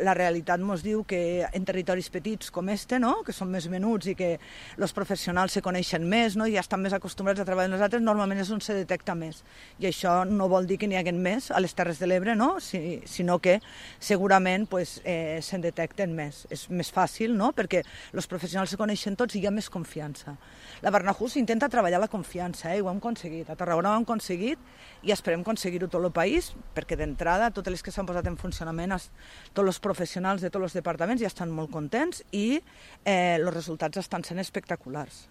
La realitat ens diu que en territoris petits com este, no? Que són més menuts i que els professionals se coneixen més, no? I ja estan més acostumbrats a treballar amb nosaltres, normalment és on se detecta més. I això no vol dir que n'hi haguen més a les Terres de l'Ebre, no? Sinó que segurament se'n detecten més. És més fàcil, no? Perquè els professionals se coneixen tots i hi ha més confiança. La Barnahus intenta treballar la confiança, i ho hem aconseguit. A Tarragona ho hem aconseguit i esperem aconseguir-ho tot el país, perquè d'entrada totes les que s'han posat en funcionament, tots els professionals de tots els departaments ja estan molt contents i els resultats estan sent espectaculars.